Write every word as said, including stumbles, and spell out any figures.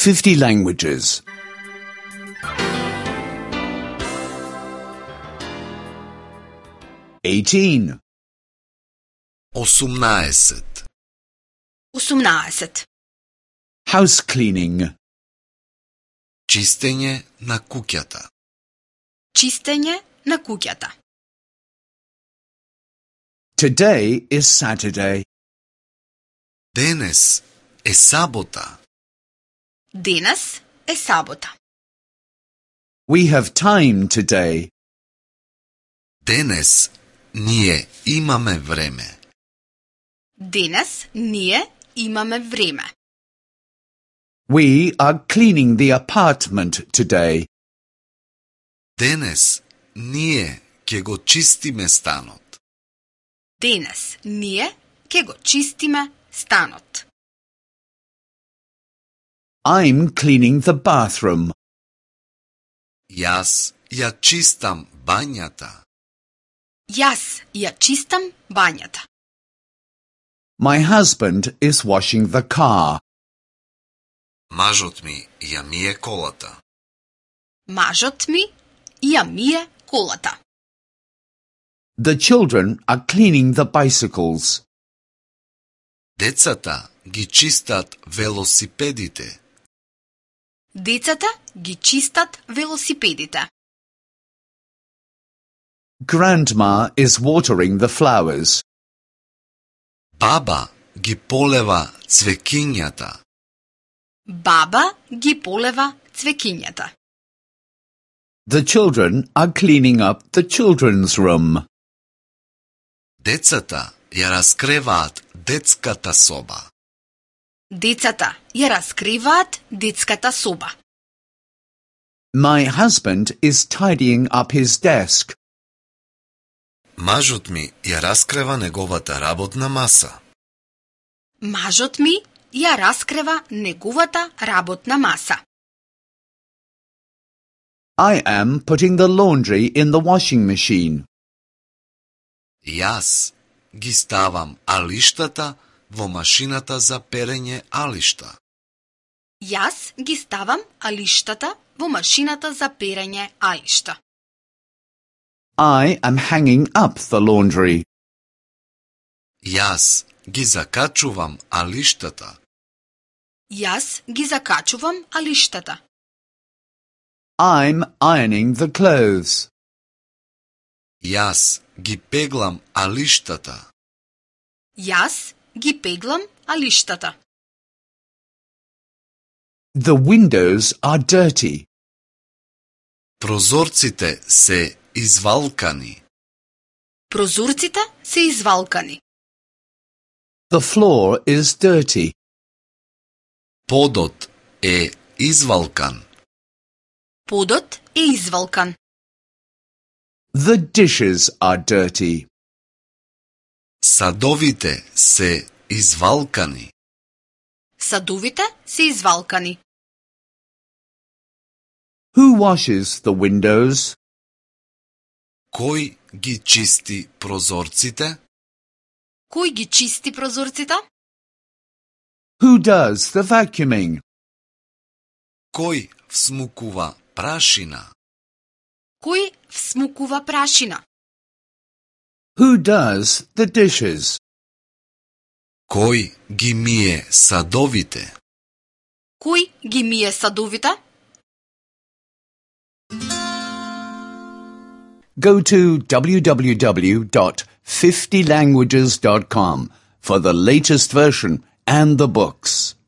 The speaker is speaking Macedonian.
fifty languages. eighteen. осумнаесет. осумнаесет. House cleaning. Чистење на куќата. Чистење на куќата. Today is Saturday. Денес е сабота. Денес е сабота. We have time today. Денес ние имаме време. Денес ние имаме време. We are cleaning the apartment today. Денес ние ќе го чистиме станот. Денес ние ќе го чистиме станот. I'm cleaning the bathroom. Јас ја чистам бањата. Јас ја чистам бањата. My husband is washing the car. Мажот ми ја мие колата. Мажот ми ја мие колата. The children are cleaning the bicycles. Децата ги чистат велосипедите. Децата ги чистат велосипедите. Grandma is watering the flowers. Баба ги полева цвекињата. Баба ги полева цвекињата. The children are cleaning up the children's room. Децата ја раскреваат детската соба. Децата ја раскриваат детската соба. My husband is tidying up his desk. Мажот ми ја раскрева неговата работна маса. Мажот ми ја раскрева неговата работна маса. I am putting the laundry in the washing machine. Јас ги ставам алиштата во машината за перење алишта. Јас ги ставам алиштата во машината за перење алишта. I am hanging up the laundry. Јас ги закачувам алиштата. Јас ги закачувам алиштата. I'm ironing the clothes. Јас ги пеглам алиштата. Јас ги пеглам алиштата. The windows are dirty. Прозорците се извалкани. Прозорците се извалкани. The floor is dirty. Подот е извалкан. Подот е извалкан. The dishes are dirty. Садовите се извалкани. Садовите се извалкани. Who washes the windows? Кој ги чисти прозорците? Кој ги чисти прозорците? Who does the vacuuming? Кој всмукува прашина? Кој всмукува прашина? Who does the dishes? Кој ги мие садовите? Кој ги мие садовите? Go to w w w dot fifty languages dot com for the latest version and the books.